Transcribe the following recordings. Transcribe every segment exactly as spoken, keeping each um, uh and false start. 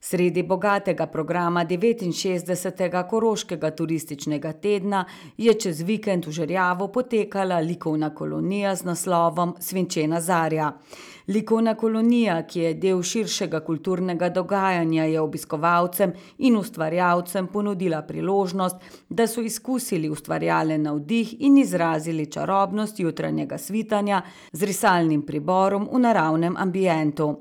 Sredi bogatega programa devetinšestdesetega Koroškega turističnega tedna je čez vikend v Žerjavu potekala likovna kolonija z naslovom Svinčena zarja. Likovna kolonija, ki je del širšega kulturnega dogajanja, je obiskovalcem in ustvarjalcem ponudila priložnost, da so izkusili ustvarjalen navdih in izrazili čarobnost jutranjega svitanja z risalnim priborom v naravnem ambientu.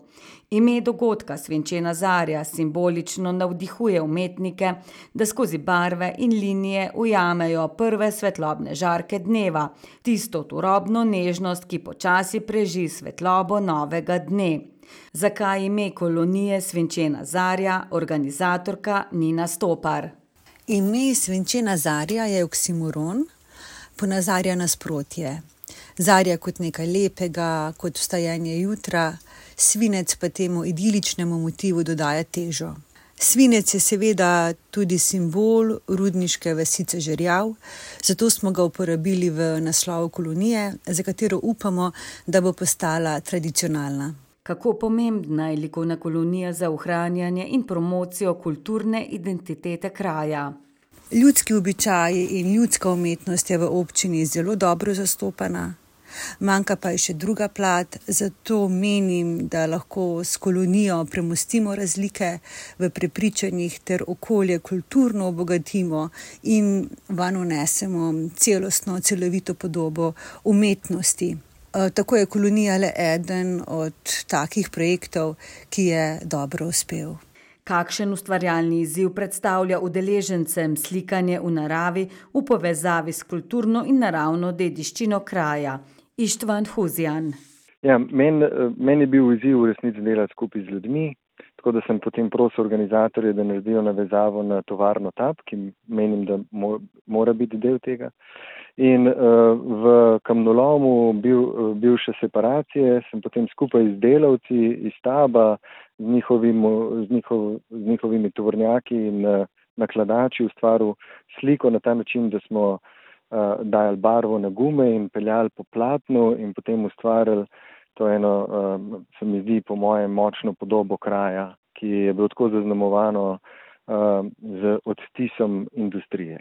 Ime dogodka Svinčena zarja simbolično navdihuje umetnike, da skozi barve in linije ujamejo prve svetlobne žarke dneva, tisto turobno nežnost, ki počasi preži svetlobo novega dne. Zakaj ime kolonije Svinčena zarja, organizatorka Nina Stopar. Ime Svinčena zarja je oksimoron, ponazarja nasprotje. Zarja kot nekaj lepega, kot vstajanje jutra, svinec pa temu idiličnemu motivu dodaja težo. Svinec je seveda tudi simbol rudniške vasice Žerjav, zato smo ga uporabili v naslovu kolonije, za katero upamo, da bo postala tradicionalna. Kako pomembna je likovna kolonija za ohranjanje in promocijo kulturne identitete kraja? Ljudski običaji in ljudska umetnost je v občini zelo dobro zastopana. Manjka pa je še druga plat, zato menim, da lahko s kolonijo premostimo razlike v prepričanjih ter okolje kulturno obogatimo in vanj vnesemo celostno, celovito podobo umetnosti. Tako je kolonija le eden od takih projektov, ki je dobro uspel. Kakšen ustvarjalni izziv predstavlja udeležencem slikanje v naravi v povezavi s kulturno in naravno dediščino kraja? Ištvan Huzjan. Ja, meni men je bil izziv v resnici delati skupaj z ljudmi, tako da sem potem prosil organizatorje, da naredijo navezavo na tovarno Tab, ki menim, da mo, mora biti del tega. In uh, v kamnolomu bil, bivše separacije sem potem skupaj z delavci iz Taba, z, njihovim, z, njihov, z njihovimi tovornjaki in uh, nakladači ustvaril sliko na ta način, da smo Uh, dajali barvo na gume in peljali po platnu in potem ustvarili to eno, uh, se mi zdi po mojem, močno podobo kraja, ki je bilo tako zaznamovano uh, z odtisom industrije.